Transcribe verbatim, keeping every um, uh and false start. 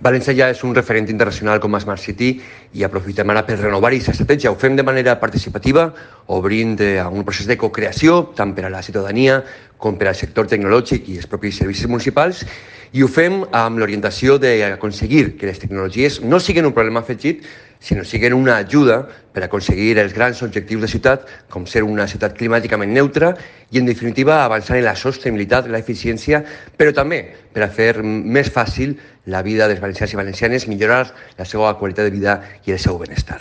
València ja és un referent internacional com a Smart City i aprofitem ara per renovar aquesta estratègia. Ho fem de manera participativa, obrint a un procés de co-creació, tant per a la ciutadania com per al sector tecnològic i els propis servicis municipals, i ho fem amb l'orientació d'aconseguir que les tecnologies no siguin un problema afegit, sinó siguin una ajuda per aconseguir els grans objectius de ciutat, com ser una ciutat climàticament neutra i, en definitiva, avançar en la sostenibilitat, l'eficiència, però també per a fer més fàcil la vida dels valencians i valencianes, millorar la seva qualitat de vida i el seu benestar.